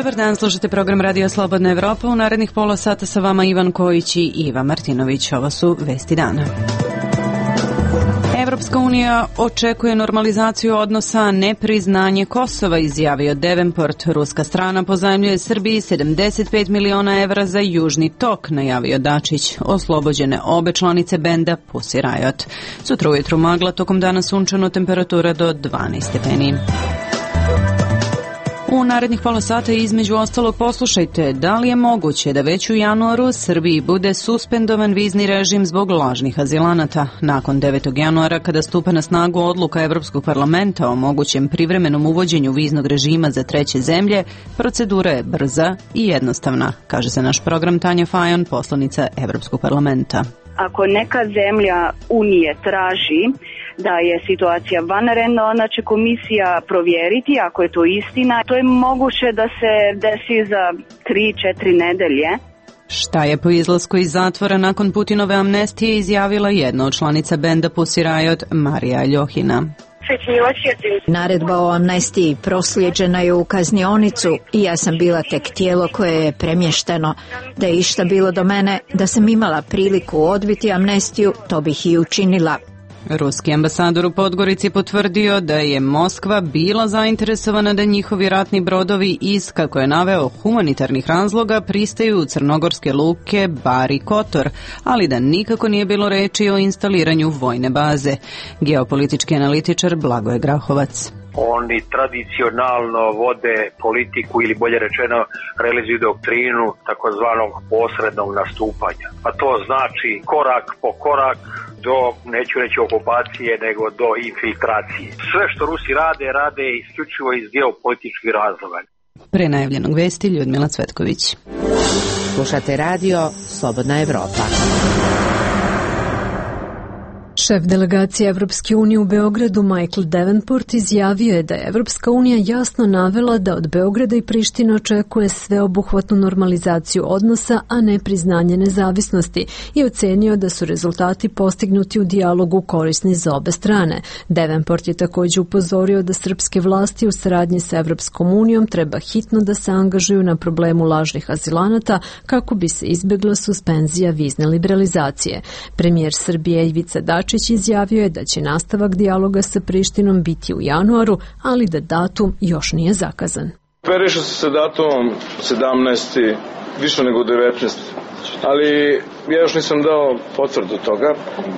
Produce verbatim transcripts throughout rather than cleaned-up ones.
Dobar dan, slušate program Radio Slobodna Evropa. U narednih pola sata sa vama Ivan Kojić i Iva Martinović. Ovo su vesti dana. Evropska unija očekuje normalizaciju odnosa, a ne priznanje Kosova, izjavio Davenport. Ruska strana pozajmljuje Srbiji sedamdeset pet miliona evra za Južni tok, najavio Dačić. Oslobođene obe članice benda Pussy Riot. Sutra ujutru magla, tokom dana sunčano, temperatura do dvanaest stepeni. U narednih pola sata između ostalog poslušajte da li je moguće da već u januaru Srbiji bude suspendovan vizni režim zbog lažnih azilanata. Nakon devetog januara, kada stupa na snagu odluka Evropskog parlamenta o mogućem privremenom uvođenju viznog režima za treće zemlje, procedura je brza i jednostavna, kaže se naš program Tanja Fajon, poslanica Evropskog parlamenta. Ako neka zemlja Unije traži da je situacija vanredna, ona će komisija provjeriti ako je to istina. To je moguće da se desi za tri četiri nedelje. Šta je po izlasku iz zatvora nakon Putinove amnestije izjavila jedna od članica benda Pussy Riot, Marija Ljohina. Naredba o amnestiji proslijeđena je u kaznionicu i ja sam bila tek tijelo koje je premješteno. Da je išta bilo do mene, da sam imala priliku odbiti amnestiju, to bih i učinila. Ruski ambasador u Podgorici potvrdio da je Moskva bila zainteresovana da njihovi ratni brodovi iz, kako je naveo, humanitarnih razloga pristaju u crnogorske luke Bar i Kotor, ali da nikako nije bilo reči o instaliranju vojne baze. Geopolitički analitičar Blagoje Grahovac. Oni tradicionalno vode politiku ili bolje rečeno realizuju doktrinu takozvanog posrednog nastupanja. A to znači korak po korak do, neću reći okupacije, nego do infiltracije. Sve što Rusi rade, rade isključivo iz geopolitičkih razloga. Pre najavljenog vesti Ljudmila Cvetković. Slušate radio Slobodna Evropa. Šef delegacije Evropske unije u Beogradu Michael Davenport izjavio je da je Evropska unija jasno navela da od Beograda i Prištine očekuje sveobuhvatnu normalizaciju odnosa, a ne priznanje nezavisnosti, i ocenio da su rezultati postignuti u dijalogu korisni za obe strane. Davenport je također upozorio da srpske vlasti u saradnji sa Evropskom unijom treba hitno da se angažuju na problemu lažnih azilanata kako bi se izbjegla suspenzija vizne liberalizacije. Premijer Srbije Ivica Dačić izjavio je da će nastavak dijaloga sa Prištinom biti u januaru, ali da datum još nije zakazan. Operišu se sa datumom sedamnaesti više nego devetnaesti, ali ja još nisam dao potvrdu toga.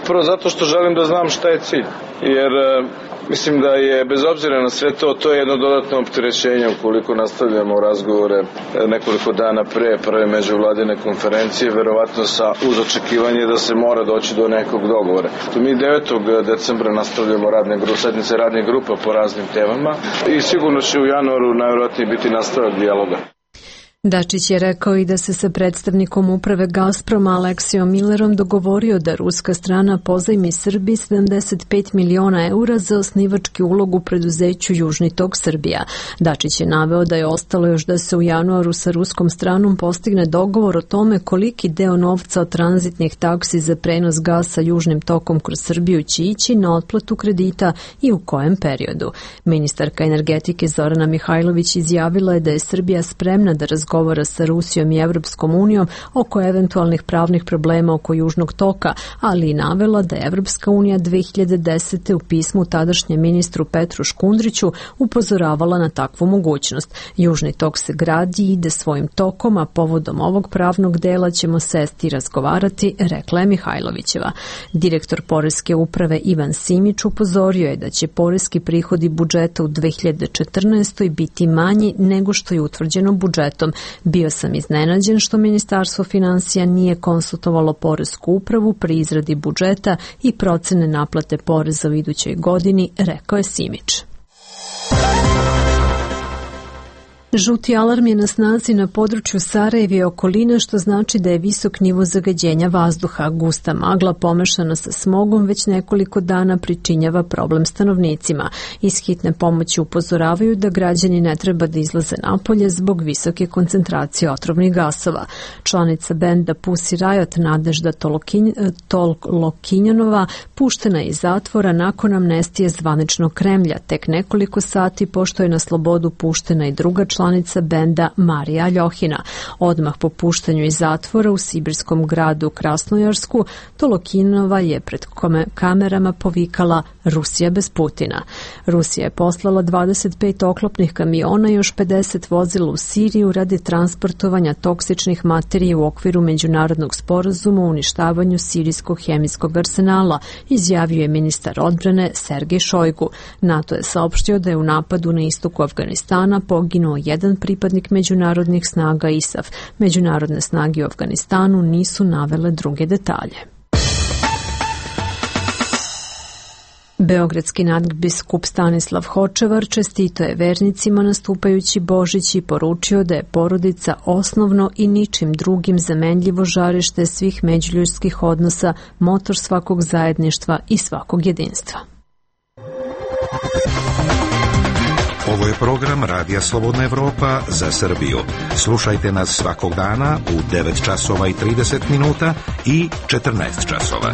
Prvo zato što želim da znam šta je cilj, jer mislim da je, bez obzira na sve to, to je jedno dodatno opterećenje ukoliko nastavljamo razgovore nekoliko dana pre prve međuvladine konferencije, verovatno sa uz očekivanje da se mora doći do nekog dogovora. To mi devetog decembra nastavljamo radne grupe, sednice radnih grupa po raznim temama i sigurno će u januaru najvjerojatnije biti nastavak dijaloga. Dačić je rekao i da se sa predstavnikom uprave Gazproma Aleksijom Millerom dogovorio da ruska strana pozajmi Srbiji sedamdeset pet miliona eura za osnivački ulog u preduzeću Južni tok Srbija. Dačić je naveo da je ostalo još da se u januaru sa ruskom stranom postigne dogovor o tome koliki deo novca od tranzitnih taksi za prenos gasa Južnim tokom kroz Srbiju će ići na otplatu kredita i u kojem periodu. Ministarka energetike Zorana Mihajlović izjavila je da je Srbija spremna da razgovara govora sa Rusijom i Evropskom unijom oko eventualnih pravnih problema oko Južnog toka, ali i navela da je Evropska unija dve hiljade desete u pismu tadašnjem ministru Petru Škundriću upozoravala na takvu mogućnost. Južni tok se gradi i ide svojim tokom, a povodom ovog pravnog dela ćemo sesti i razgovarati, rekla je Mihajlovićeva. Direktor Poreske uprave Ivan Simić upozorio je da će poreski prihodi budžeta u dve hiljade četrnaestoj biti manji nego što je utvrđeno budžetom. Bio sam iznenađen što Ministarstvo finansija nije konsultovalo Poresku upravu pri izradi budžeta i procene naplate poreza u idućoj godini, rekao je Simić. Žuti alarm je na snazi na području Sarajeva i okoline, što znači da je visok nivo zagađenja vazduha. Gusta magla pomešana sa smogom već nekoliko dana pričinjava problem stanovnicima. Iz hitne pomoći upozoravaju da građani ne treba da izlaze napolje zbog visoke koncentracije otrovnih gasova. Članica benda Pussy Riot Nadežda Tolokinjanova puštena je iz zatvora nakon amnestije zvaničnog Kremlja, tek nekoliko sati pošto je na slobodu puštena i druga članica članica benda Marija Aljohina. Odmah po puštanju iz zatvora u sibirskom gradu Krasnojarsku, Tolokinova je pred kamerama povikala Rusija bez Putina. Rusija je poslala dvadeset pet oklopnih kamiona i još pedeset vozila u Siriju radi transportovanja toksičnih materija u okviru međunarodnog sporazuma o uništavanju sirijskog hemijskog arsenala, izjavio je ministar odbrane Sergej Šojgu. NATO je saopštio da je u napadu na istoku Afganistana poginuo jedan pripadnik međunarodnih snaga I S A F. Međunarodne snage u Afganistanu nisu navele druge detalje. Beogradski nadbiskup Stanislav Hočevar čestitao je vernicima nastupajući Božić i poručio da je porodica osnovno i ničim drugim zamenljivo žarište svih međuljudskih odnosa, motor svakog zajedništva i svakog jedinstva. Ovo je program Radija Slobodna Evropa za Srbiju. Slušajte nas svakog dana u devet časova i trideset minuta i četrnaest časova.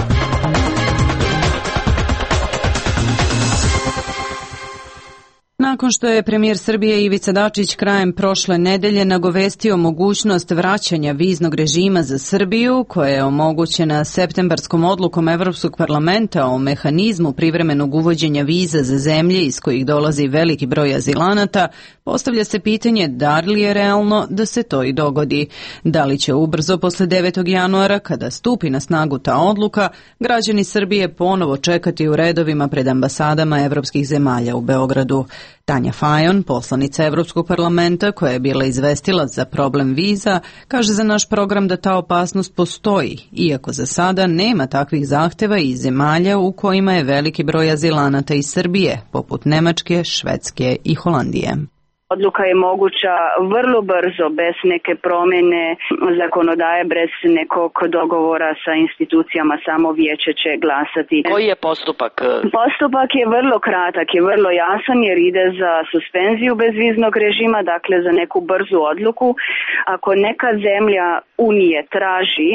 Nakon što je premijer Srbije Ivica Dačić krajem prošle nedelje nagovestio mogućnost vraćanja viznog režima za Srbiju, koja je omogućena septembarskom odlukom Evropskog parlamenta o mehanizmu privremenog uvođenja viza za zemlje iz kojih dolazi veliki broj azilanata, postavlja se pitanje da li je realno da se to i dogodi. Da li će ubrzo posle devetog januara, kada stupi na snagu ta odluka, građani Srbije ponovo čekati u redovima pred ambasadama evropskih zemalja u Beogradu. Tanja Fajon, poslanica Evropskog parlamenta koja je bila izvestilac za problem viza, kaže za naš program da ta opasnost postoji, iako za sada nema takvih zahteva iz zemalja u kojima je veliki broj azilanata iz Srbije, poput Nemačke, Švedske i Holandije. Odluka je moguća vrlo brzo, bez neke promjene zakonodaje, bez nekog dogovora sa institucijama, samo vijeće će glasati. Koji je postupak? Postupak je vrlo kratak, je vrlo jasan jer ide za suspenziju bezviznog režima, dakle za neku brzu odluku. Ako neka zemlja Unije traži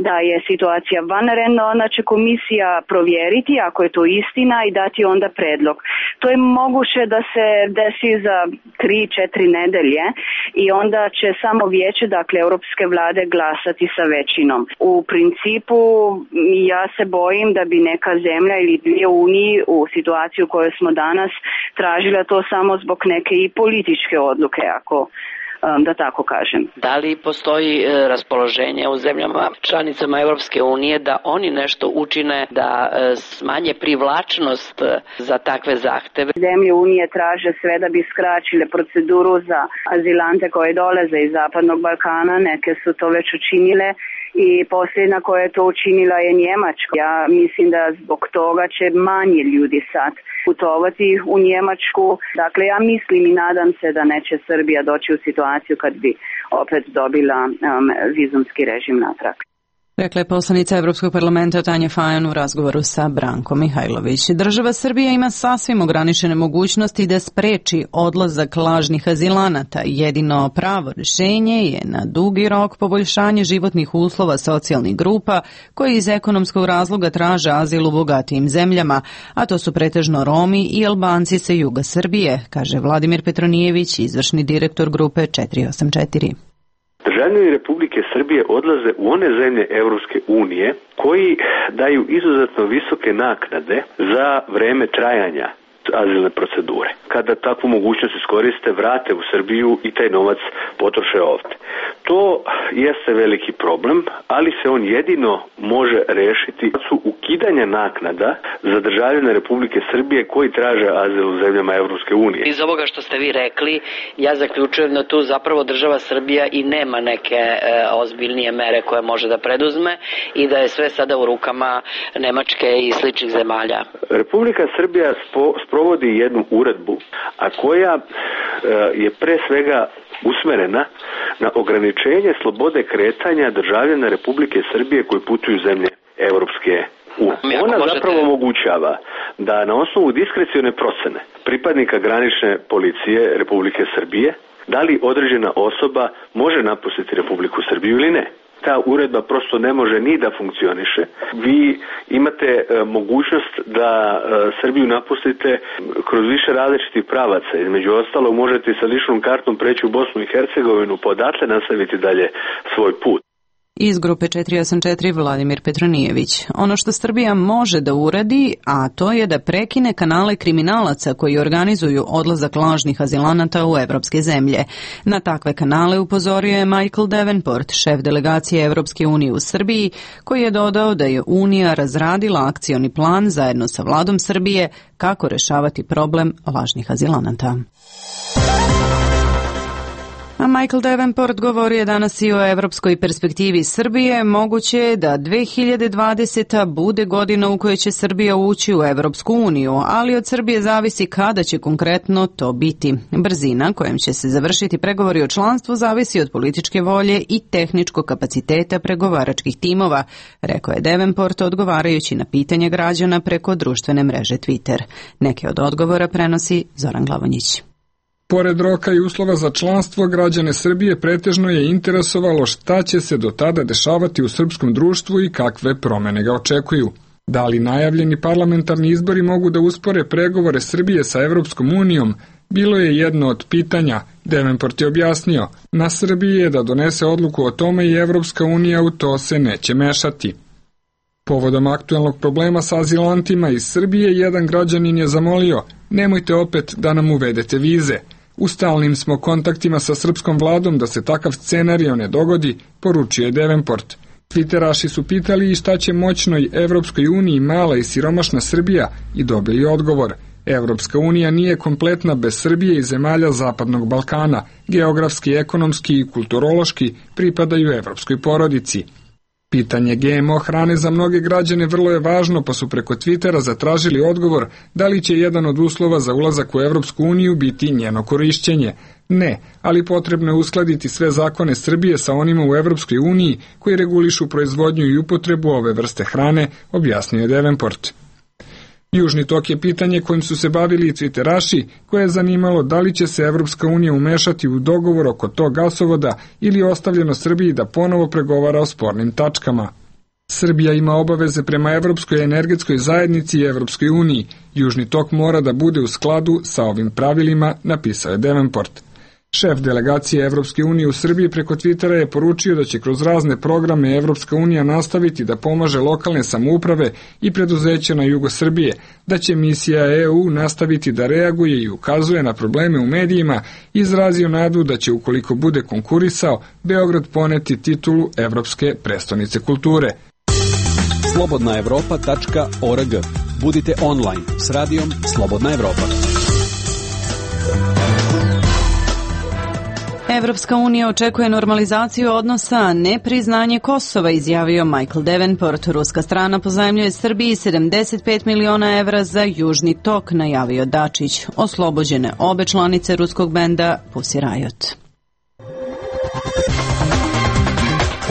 da je situacija vanredna, onda će komisija provjeriti ako je to istina i dati onda predlog. To je moguće da se desi za tri, četiri nedelje i onda će samo vijeće, dakle Europske vlade, glasati sa većinom. U principu ja se bojim da bi neka zemlja ili dvije Uniji u situaciju u kojoj smo danas tražila to samo zbog neke i političke odluke, ako da tako kažem. Da li postoji raspoloženje u zemljama članicama Evropske unije da oni nešto učine da smanje privlačnost za takve zahteve? Zemlje Unije traže sve da bi skraćile proceduru za azilante koje dolaze iz Zapadnog Balkana, neke su to već učinile i posljedna koja je to učinila je Njemačka. Ja mislim da zbog toga će manje ljudi sad putovati u Njemačku. Dakle, ja mislim i nadam se da neće Srbija doći u situaciju kad bi opet dobila um, vizumski režim natrag. Rekla je poslanica Evropskog parlamenta Tanja Fajon u razgovoru sa Brankom Mihajlović. Država Srbija ima sasvim ograničene mogućnosti da spreči odlazak lažnih azilanata. Jedino pravo rješenje je na dugi rok poboljšanje životnih uslova socijalnih grupa koji iz ekonomskog razloga traže azil u bogatijim zemljama, a to su pretežno Romi i Albanci sa juga Srbije, kaže Vladimir Petronijević, izvršni direktor grupe četiri osam četiri. Državljani Republike Srbije odlaze u one zemlje Evropske unije koji daju izuzetno visoke naknade za vreme trajanja azilne procedure. Kada takvu mogućnost iskoriste, vrate u Srbiju i taj novac potroše ovdje. To jeste veliki problem, ali se on jedino može rešiti su ukidanja naknada za državljane Republike Srbije koji traže azil u zemljama Evropske unije. Iz ovoga što ste vi rekli, ja zaključujem da tu zapravo država Srbija i nema neke e, ozbiljnije mere koje može da preduzme i da je sve sada u rukama Nemačke i sličnih zemalja. Republika Srbija spo, sprovodi jednu uredbu, a koja e, je pre svega usmerena na ograničenje slobode kretanja državljana Republike Srbije koji putuju u zemlje Evropske unije. Ona možete... zapravo omogućava da na osnovu diskrecione procene pripadnika granične policije Republike Srbije da li određena osoba može napustiti Republiku Srbiju ili ne. ta uredba prosto ne može ni da funkcioniše. Vi imate e, mogućnost da e, Srbiju napustite kroz više različitih pravaca. Između ostalog možete sa ličnom kartom preći u Bosnu i Hercegovinu, pa odatle nastaviti dalje svoj put. Iz grupe četiri osam četiri Vladimir Petronijević. Ono što Srbija može da uradi, a to je da prekine kanale kriminalaca koji organizuju odlazak lažnih azilanata u evropske zemlje. Na takve kanale upozorio je Michael Davenport, šef delegacije Evropske unije u Srbiji, koji je dodao da je Unija razradila akcioni plan zajedno sa vladom Srbije kako rešavati problem lažnih azilanata. A Michael Davenport govori je danas i o evropskoj perspektivi Srbije. Moguće je da dve hiljade dvadeseta bude godina u kojoj će Srbija ući u Evropsku uniju, ali od Srbije zavisi kada će konkretno to biti. Brzina kojom će se završiti pregovori o članstvu zavisi od političke volje i tehničkog kapaciteta pregovaračkih timova, rekao je Davenport odgovarajući na pitanje građana preko društvene mreže Twitter. Neke od odgovora prenosi Zoran Glavonjić. Pored roka i uslova za članstvo, građane Srbije pretežno je interesovalo šta će se do tada dešavati u srpskom društvu i kakve promene ga očekuju. Da li najavljeni parlamentarni izbori mogu da uspore pregovore Srbije sa Evropskom unijom, bilo je jedno od pitanja. Davenport je objasnio, na Srbiji je da donese odluku o tome i Evropska unija u to se neće mešati. Povodom aktuelnog problema sa azilantima iz Srbije, jedan građanin je zamolio, nemojte opet da nam uvedete vize. U stalnim smo kontaktima sa srpskom vladom da se takav scenario ne dogodi, poručio je Davenport. Twitteraši su pitali i šta će moćnoj Evropskoj uniji mala i siromašna Srbija i dobili odgovor. Evropska unija nije kompletna bez Srbije i zemalja Zapadnog Balkana, geografski, ekonomski i kulturološki pripadaju evropskoj porodici. Pitanje G M O hrane za mnoge građane vrlo je važno, pa su preko Twittera zatražili odgovor da li će jedan od uslova za ulazak u Evropsku uniju biti njeno korišćenje. Ne, ali potrebno je uskladiti sve zakone Srbije sa onima u Evropskoj uniji koji regulišu proizvodnju i upotrebu ove vrste hrane, objasnio je Davenport. Južni tok je pitanje kojim su se bavili i Twitteraši, koje je zanimalo da li će se Evropska unija umešati u dogovor oko tog gasovoda ili ostavljeno Srbiji da ponovo pregovara o spornim tačkama. Srbija ima obaveze prema Evropskoj energetskoj zajednici i Evropskoj uniji. Južni tok mora da bude u skladu sa ovim pravilima, napisao je Davenport. Šef delegacije Evropske unije u Srbiji preko Twittera je poručio da će kroz razne programe Evropska unija nastaviti da pomaže lokalne samouprave i preduzeća na jugu Srbije, da će misija E U nastaviti da reaguje i ukazuje na probleme u medijima, izrazio nadu da će, ukoliko bude konkurisao, Beograd poneti titulu Evropske prestonice kulture. slobodna evropa tačka org. Budite online s radijom Slobodna Evropa. Evropska unija očekuje normalizaciju odnosa, a ne priznanje Kosova, izjavio Michael Davenport. Ruska strana pozajmljuje Srbiji sedamdeset pet miliona evra za Južni tok, najavio Dačić. Oslobođene obe članice ruskog benda Pussy Riot.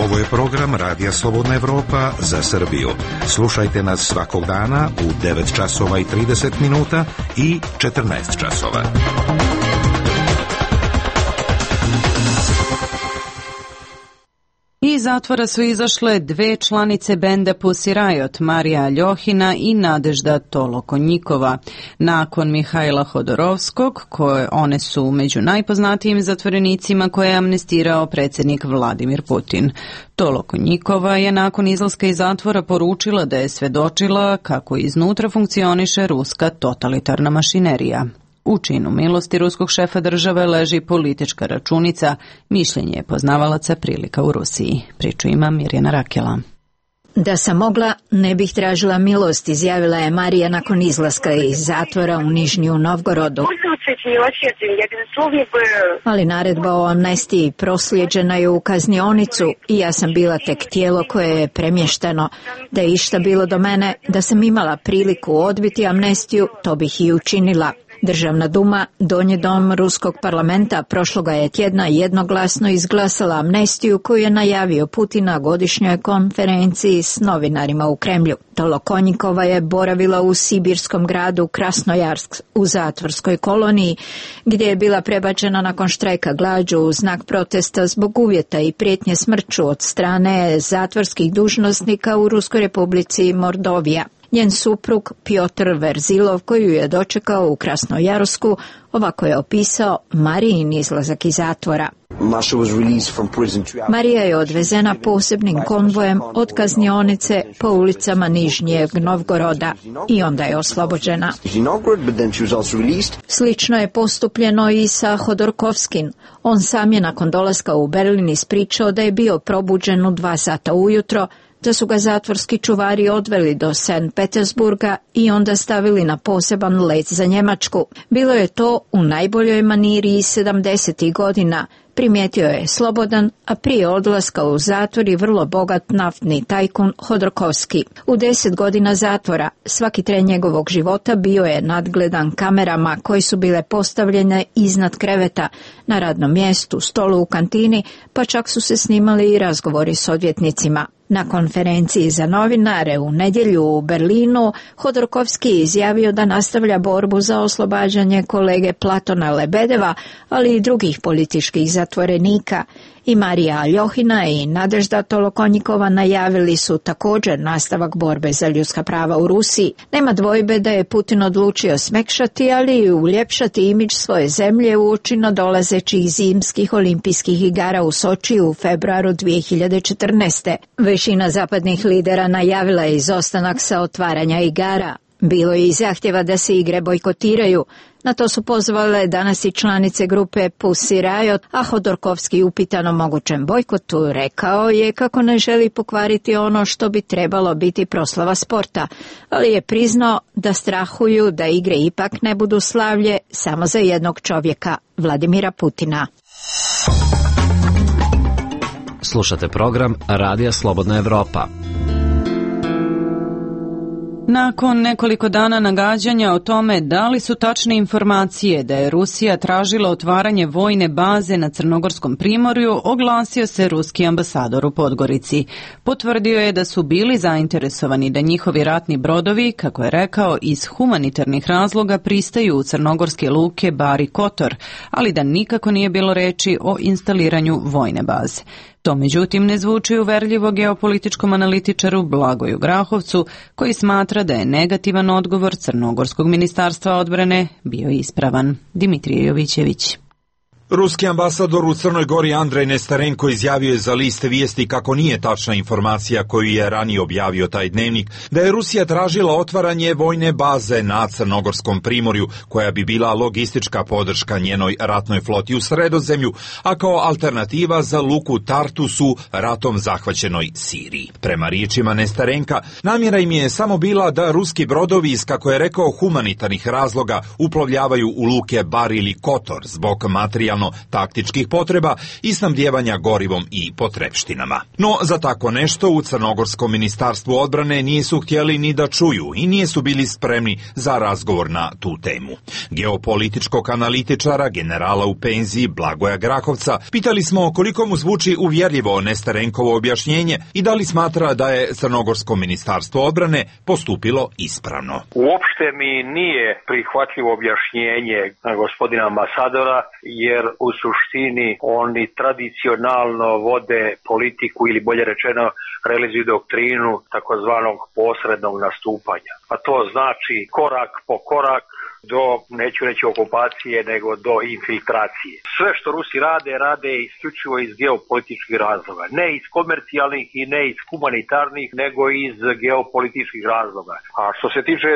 Ovo je program Radija Slobodna Evropa za Srbiju. Slušajte nas svakog dana u devet časova i trideset minuta i četrnaest časova. Iz zatvora su izašle dve članice benda Pussy Riot, Marija Ljohina i Nadežda Tolokonjikova. Nakon Mihajla Hodorovskog, koje one su među najpoznatijim zatvorenicima koje je amnestirao predsjednik Vladimir Putin. Tolokonjikova je nakon izlaska iz zatvora poručila da je svedočila kako iznutra funkcioniše ruska totalitarna mašinerija. U činu milosti ruskog šefa države leži politička računica, mišljenje je poznavalaca prilika u Rusiji. Priču ima Mirjana Rakela. Da sam mogla, ne bih tražila milost, izjavila je Marija nakon izlaska iz zatvora u Nižnju Novgorodu. Ali naredba o amnestiji proslijeđena je u kaznionicu i ja sam bila tek tijelo koje je premješteno. Da je išta bilo do mene, da sam imala priliku odbiti amnestiju, to bih i učinila. Državna duma, donji dom ruskog parlamenta, prošloga je tjedna jednoglasno izglasala amnestiju koju je najavio Putin na godišnjoj konferenciji s novinarima u Kremlju. Tolokonjikova je boravila u sibirskom gradu Krasnojarsk u zatvorskoj koloniji, gdje je bila prebačena nakon štrajka glađu u znak protesta zbog uvjeta i prijetnje smrću od strane zatvorskih dužnosnika u Ruskoj republici Mordovija. Njen suprug Pjotr Verzilov, koju je dočekao u Krasnojarsku, ovako je opisao Marijin izlazak iz zatvora. Marija je odvezena posebnim konvojem od kaznionice po ulicama Nižnjeg Novgoroda i onda je oslobođena. Slično je postupljeno i sa Hodorkovskim. On sam je nakon dolaska u Berlin ispričao da je bio probuđen u dva sata ujutro, da su ga zatvorski čuvari odveli do Sankt Petersburga i onda stavili na poseban let za Njemačku. Bilo je to u najboljoj maniri iz sedamdesetih godina. Primijetio je slobodan, a prije odlaska u zatvor i vrlo bogat naftni tajkun Hodorkovski. U deset godina zatvora svaki tren njegovog života bio je nadgledan kamerama koje su bile postavljene iznad kreveta, na radnom mjestu, stolu u kantini, pa čak su se snimali i razgovori s odvjetnicima. Na konferenciji za novinare u nedjelju u Berlinu Hodorkovski je izjavio da nastavlja borbu za oslobađanje kolege Platona Lebedeva, ali i drugih političkih zatvorenika. I Marija Aljohina i Nadežda Tolokonjikova najavili su također nastavak borbe za ljudska prava u Rusiji. Nema dvojbe da je Putin odlučio smekšati, ali i uljepšati imidž svoje zemlje uoči nadolazećih zimskih olimpijskih igara u Sočiju u februaru dvije hiljade četrnaeste. Većina zapadnih lidera najavila je izostanak sa otvaranja igara. Bilo je i zahtjeva da se igre bojkotiraju. Na to su pozvale danas i članice grupe Pussy Riot, a Hodorkovski upitan o mogućem bojkotu rekao je kako ne želi pokvariti ono što bi trebalo biti proslava sporta, ali je priznao da strahuju da igre ipak ne budu slavlje samo za jednog čovjeka, Vladimira Putina. Slušate program Radija Slobodna Evropa. Nakon nekoliko dana nagađanja o tome da li su tačne informacije da je Rusija tražila otvaranje vojne baze na Crnogorskom primorju, oglasio se ruski ambasador u Podgorici. Potvrdio je da su bili zainteresovani da njihovi ratni brodovi, kako je rekao, iz humanitarnih razloga pristaju u crnogorske luke Bar i Kotor, ali da nikako nije bilo reči o instaliranju vojne baze. To međutim ne zvuči uverljivo geopolitičkom analitičaru Blagoju Grahovcu, koji smatra da je negativan odgovor Crnogorskog ministarstva odbrane bio ispravan. Dimitrije Jovićević. Ruski ambasador u Crnoj Gori Andrej Nestarenko izjavio je za list Vijesti kako nije tačna informacija koju je ranije objavio taj dnevnik, da je Rusija tražila otvaranje vojne baze na Crnogorskom primorju, koja bi bila logistička podrška njenoj ratnoj floti u Sredozemlju, a kao alternativa za luku Tartus u ratom zahvaćenoj Siriji. Prema riječima Nestarenka, namjera im je samo bila da ruski brodovi iz, kako je rekao, humanitarnih razloga uplovljavaju u luke Bar ili Kotor zbog materijalnog taktičkih potreba i snabdijevanja gorivom i potrepštinama. No, za tako nešto u Crnogorskom ministarstvu odbrane nisu htjeli ni da čuju i nisu bili spremni za razgovor na tu temu. Geopolitičkog analitičara, generala u penziji Blagoja Grahovca, pitali smo koliko mu zvuči uvjerljivo Nestarenkovo objašnjenje i da li smatra da je Crnogorsko ministarstvo odbrane postupilo ispravno. Uopšte mi nije prihvatljivo objašnjenje gospodina ambasadora, jer u suštini oni tradicionalno vode politiku ili bolje rečeno realizuju doktrinu takozvanog posrednog nastupanja. A to znači korak po korak do, neću reći okupacije, nego do infiltracije. Sve što Rusi rade, rade isključivo iz geopolitičkih razloga. Ne iz komercijalnih i ne iz humanitarnih, nego iz geopolitičkih razloga. A što se tiče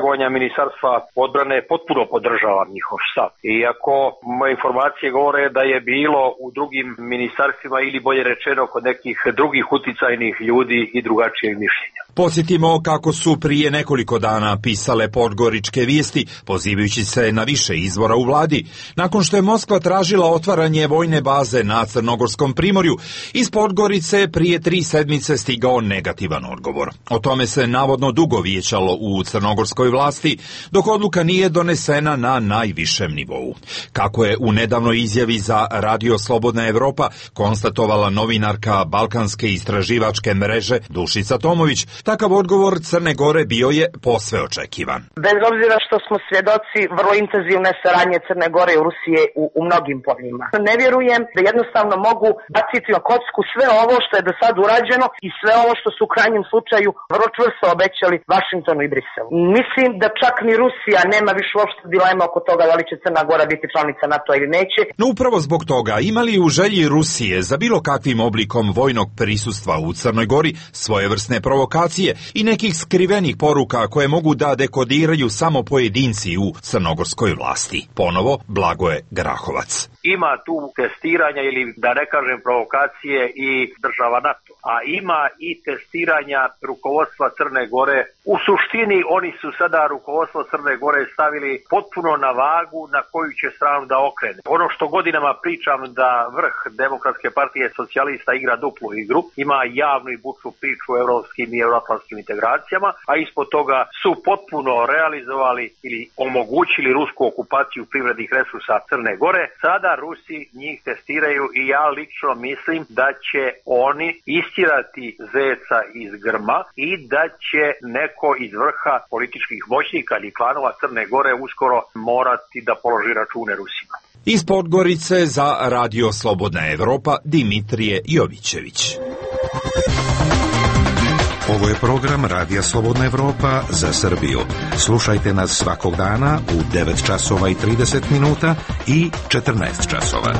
vojnja ministarstva odbrane, potpuno podržavam njihov stav. Iako moje informacije govore da je bilo u drugim ministarstvima ili bolje rečeno kod nekih drugih uticajnih ljudi i drugačijeg mišljenja. Podsjetimo kako su prije nekoliko dana pisale podgoričke vijesti, pozivajući se na više izvora u vladi. Nakon što je Moskva tražila otvaranje vojne baze na Crnogorskom primorju, iz Podgorice prije tri sedmice stigao negativan odgovor. O tome se navodno dugo vijećalo u crnogorskoj vlasti, dok odluka nije donesena na najvišem nivou. Kako je u nedavnoj izjavi za Radio Slobodna Evropa konstatovala novinarka Balkanske istraživačke mreže Dušica Tomović, takav odgovor Crne Gore bio je posve očekivan. Bez obzira što smo svjedoci vrlo intenzivne saradnje Crne Gore i Rusije u, u mnogim poljima. Ne vjerujem da jednostavno mogu baciti na kocku sve ovo što je do sad urađeno i sve ovo što su u krajnjem slučaju vrlo čvrsto obećali Vašingtonu i Briselu. Mislim da čak ni Rusija nema više uopšte dilema oko toga da li će Crna Gora biti članica NATO ili neće. No upravo zbog toga imali u želji Rusije za bilo kakvim oblikom vojnog prisustva u Crnoj Gori svojevrsne provokacije i nekih skrivenih poruka koje mogu da dekodiraju samo pojedinci u crnogorskoj vlasti. Ponovo Blagoje Grahovac. Ima tu testiranja ili da ne kažem provokacije i država NATO, a ima i testiranja rukovodstva Crne Gore. U suštini oni su sada rukovodstvo Crne Gore stavili potpuno na vagu na koju će stranu da okrene. Ono što godinama pričam da vrh Demokratske partije socijalista igra duplu igru, ima javnu i bučnu priču o evropskim i euroatlantskim integracijama, a ispod toga su potpuno realizovali ili omogućili rusku okupaciju privrednih resursa Crne Gore. Sada Rusi njih testiraju i ja lično mislim da će oni istirati zeca iz grma i da će neko iz vrha političkih moćnika ili klanova Crne Gore uskoro morati da položi račune Rusima. Iz Podgorice za Radio Slobodna Evropa Dimitrije Jovićević. Ovo je program Radija Slobodna Evropa za Srbiju. Slušajte nas svakog dana u devet časova i trideset minuta i četrnaest časova.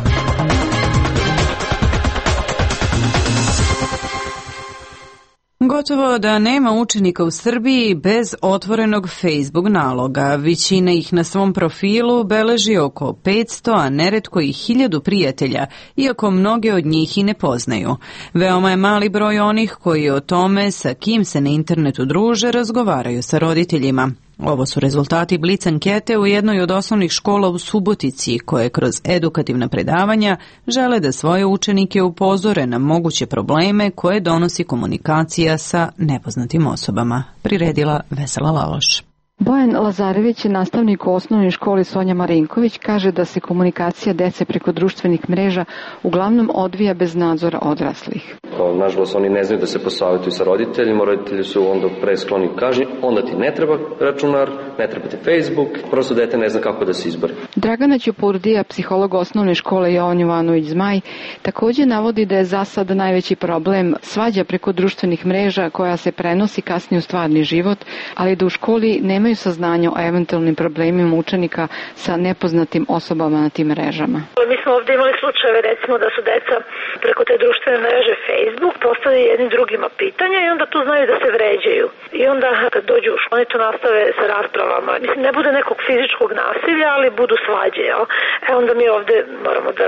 Gotovo da nema učenika u Srbiji bez otvorenog Facebook naloga. Većina ih na svom profilu beleži oko petsto, a neretko i hiljadu prijatelja, iako mnoge od njih i ne poznaju. Veoma je mali broj onih koji o tome sa kim se na internetu druže razgovaraju sa roditeljima. Ovo su rezultati Blic ankete u jednoj od osnovnih škola u Subotici, koje kroz edukativna predavanja žele da svoje učenike upozore na moguće probleme koje donosi komunikacija sa nepoznatim osobama. Priredila Vesela Laloš. Bojan Lazarević, nastavnik u osnovnoj školi Sonja Marinković, kaže da se komunikacija dece preko društvenih mreža uglavnom odvija bez nadzora odraslih. Nažalost, oni ne znaju da se posavjetuju sa roditeljima, roditelji su onda preskloni kaži, onda ti ne treba računar, ne treba ti Facebook, prosto dete ne zna kako da se izbori. Dragana Ćupurdija, psiholog osnovne škole Jovan Jovanović Zmaj, također navodi da je za sad najveći problem svađa preko društvenih mreža koja se prenosi kasnije u stvarni život, ali da u školi nema nemaju saznanja o eventualnim problemima učenika sa nepoznatim osobama na tim mrežama. Mi smo ovdje imali slučajeve recimo da su deca preko te društvene mreže Facebook postavili jednim drugima pitanja i onda tu znaju da se vređaju. I onda kad dođu u školu, oni to nastave sa raspravama. Mislim, ne bude nekog fizičkog nasilja, ali budu svađe. Jel? E onda mi ovdje moramo da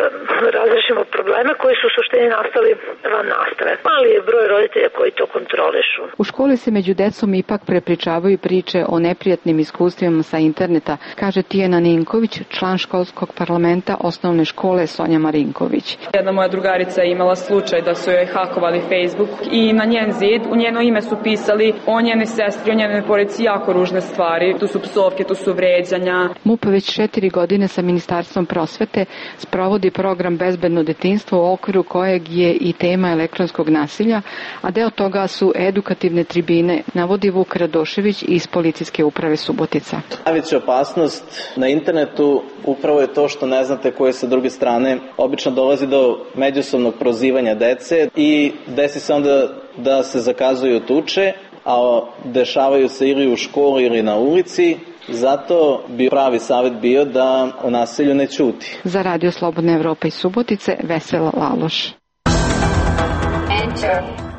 razrešimo probleme koji su u suštini nastali van nastave. Mali je broj roditelja koji to kontrolišu. U školi se među decom ipak prepričavaju priče o neprijatnim iskustvima sa interneta, kaže Tijana Ninković, član školskog parlamenta osnovne škole Sonja Marinković. Jedna moja drugarica je imala slučaj da su joj hakovali Facebook i na njen zid u njeno ime su pisali o njene sestri, o njene porodici jako ružne stvari. Tu su psovke, tu su vređanja. M U P već četiri godine sa Ministarstvom prosvete sprovodi program Bezbedno detinjstvo u okviru kojeg je i tema elektronskog nasilja, a deo toga su edukativne tribine, navodi Vuk Radošević iz Policijske uprave Subotica. Najveća opasnost na internetu upravo je to što ne znate koje sa druge strane. Obično dolazi do međusobnog prozivanja dece i desi se onda da se zakazuju tuče, a dešavaju se ili u školi ili na ulici. Zato bi pravi savjet bio da o nasilju ne ćuti. Za Radio Slobodna Evropa iz Subotice, Vesela Laloš.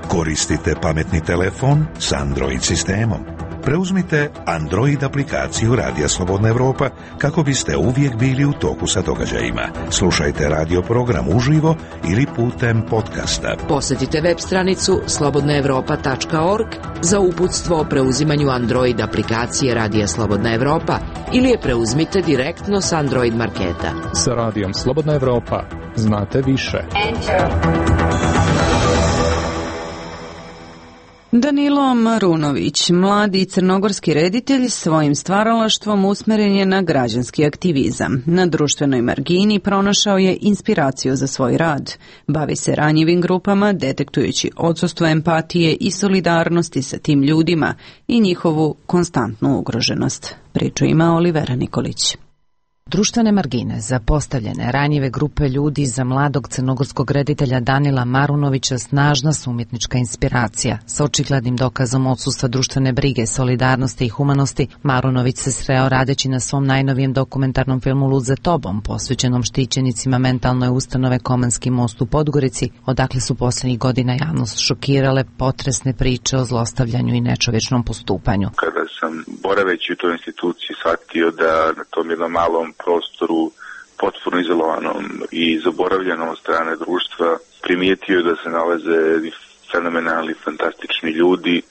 Koristite pametni telefon s Android sistemom. Preuzmite Android aplikaciju Radija Slobodna Evropa kako biste uvijek bili u toku sa događajima. Slušajte radio program uživo ili putem podcasta. Posjetite web stranicu slobodna evropa tačka org za uputstvo o preuzimanju Android aplikacije Radija Slobodna Evropa ili je preuzmite direktno s Android marketa. Sa Radijom Slobodna Evropa znate više. Danilo Marunović, mladi crnogorski reditelj, svojim stvaralaštvom usmeren je na građanski aktivizam. Na društvenoj margini pronašao je inspiraciju za svoj rad. Bavi se ranjivim grupama, detektujući odsustvo empatije i solidarnosti sa tim ljudima i njihovu konstantnu ugroženost. Priču ima Olivera Nikolić. Društvene margine, zapostavljene, ranjive grupe ljudi za mladog crnogorskog reditelja Danila Marunovića snažna su umjetnička inspiracija. Sa očiglednim dokazom odsustva društvene brige, solidarnosti i humanosti, Marunović se sreo radeći na svom najnovijem dokumentarnom filmu Lud za tobom, posvećenom štićenicima mentalne ustanove Komanski most u Podgorici, odakle su posljednjih godina javnost šokirale potresne priče o zlostavljanju i nečovječnom postupanju. Kada sam boraveći u toj instituciji shvatio da na tom jednom malom prostoru potpuno izolovanom i zaboravljenom od strane društva primijetio da se nalaze fenomenalni, fantastični ljudi,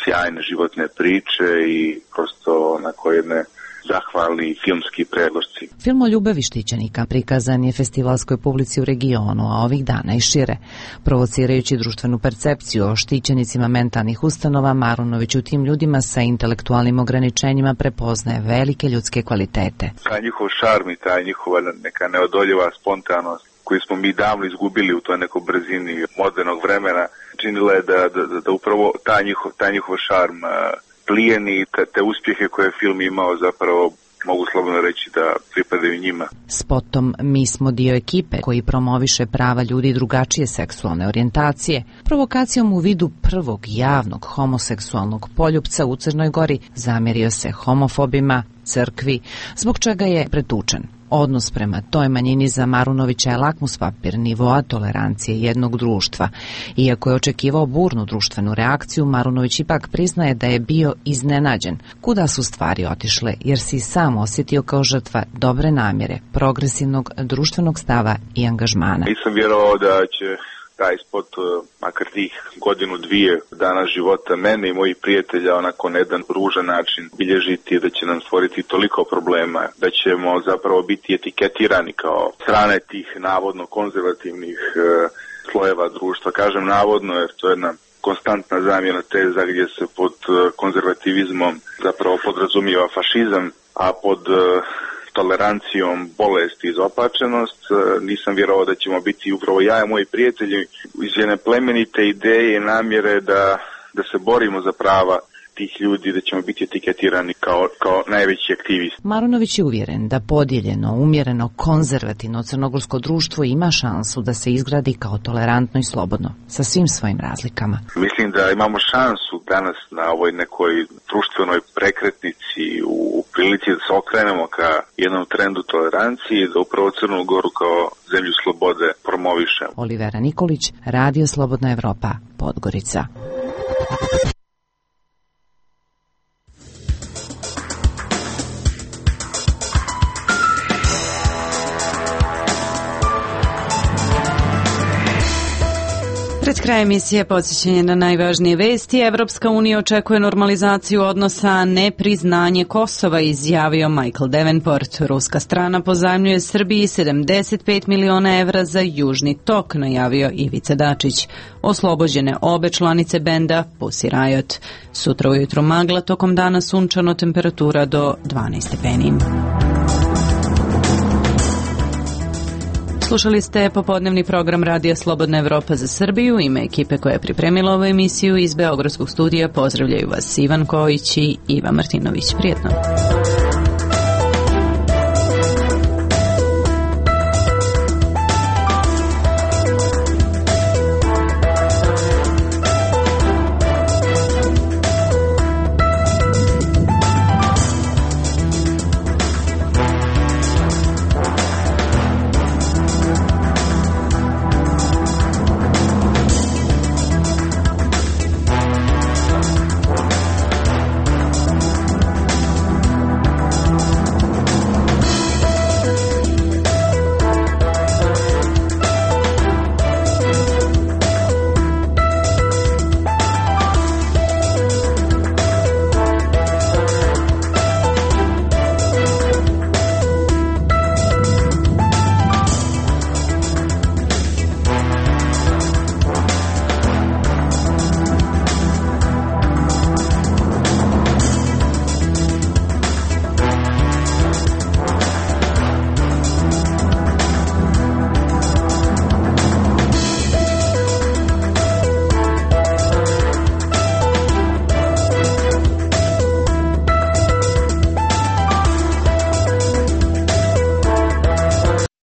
sjajne životne priče i prosto onako jedne zahvalni filmski predložci. Film o ljubavi štićenika prikazan je festivalskoj publici u regionu, a ovih dana i šire. Provocirajući društvenu percepciju o štićenicima mentalnih ustanova, Marunović u tim ljudima sa intelektualnim ograničenjima prepoznaje velike ljudske kvalitete. Taj njihov šarm i taj njihova neka neodoljiva spontanost koju smo mi davno izgubili u toj nekoj brzini modernog vremena, činila je da, da, da upravo taj njihov, taj njihov šarm plijeni, te, te uspjehe koje je film imao zapravo mogu slobodno reći da pripadaju njima. Spotom Mi smo dio ekipe koji promoviše prava ljudi drugačije seksualne orijentacije, provokacijom u vidu prvog javnog homoseksualnog poljupca u Crnoj Gori zamjerio se homofobima, crkvi, zbog čega je pretučen. Odnos prema toj manjini za Marunovića je lakmus papir nivoa tolerancije jednog društva. Iako je očekivao burnu društvenu reakciju, Marunović ipak priznaje da je bio iznenađen kuda su stvari otišle, jer si sam osjetio kao žrtva dobre namjere, progresivnog društvenog stava i angažmana. Nisam vjerovao da će taj spot, makar tih godinu dvije dana života mene i mojih prijatelja onako na jedan ružan način bilježiti, da će nam stvoriti toliko problema, da ćemo zapravo biti etiketirani kao strane tih navodno konzervativnih e, slojeva društva. Kažem navodno jer to je jedna konstantna zamjena teza gdje se pod konzervativizmom zapravo podrazumijeva fašizam, a pod e, tolerancijom bolest i izopačenost. Nisam vjerovao da ćemo biti upravo ja i moji prijatelji iz jedne plemenite ideje i namjere da, da se borimo za prava tih ljudi, da ćemo biti etiketirani kao, kao najveći aktivisti. Marunović je uvjeren da podijeljeno, umjereno, konzervativno crnogorsko društvo ima šansu da se izgradi kao tolerantno i slobodno, sa svim svojim razlikama. Mislim da imamo šansu danas na ovoj nekoj društvenoj prekretnici u prilici da se okrenemo ka jednom trendu tolerancije, da upravo Crnu Goru kao zemlju slobode promovišemo. Olivera Nikolić, Radio Slobodna Evropa, Podgorica. Pred kraj emisije podsjećanje na najvažnije vesti. Evropska unija očekuje normalizaciju odnosa, a ne priznanje Kosova, izjavio Michael Davenport. Ruska strana pozajmljuje Srbiji sedamdeset pet miliona evra za Južni tok, najavio Ivica Dačić. Oslobođene obe članice benda Pussy Riot. Sutra ujutro magla, tokom dana sunčano, temperatura do dvanaest stepeni. Slušali ste popodnevni program Radija Slobodna Evropa za Srbiju. Ime ekipe koja je pripremila ovu emisiju iz Beogradskog studija pozdravljaju vas Ivan Kojić i Iva Martinović. Prijetno.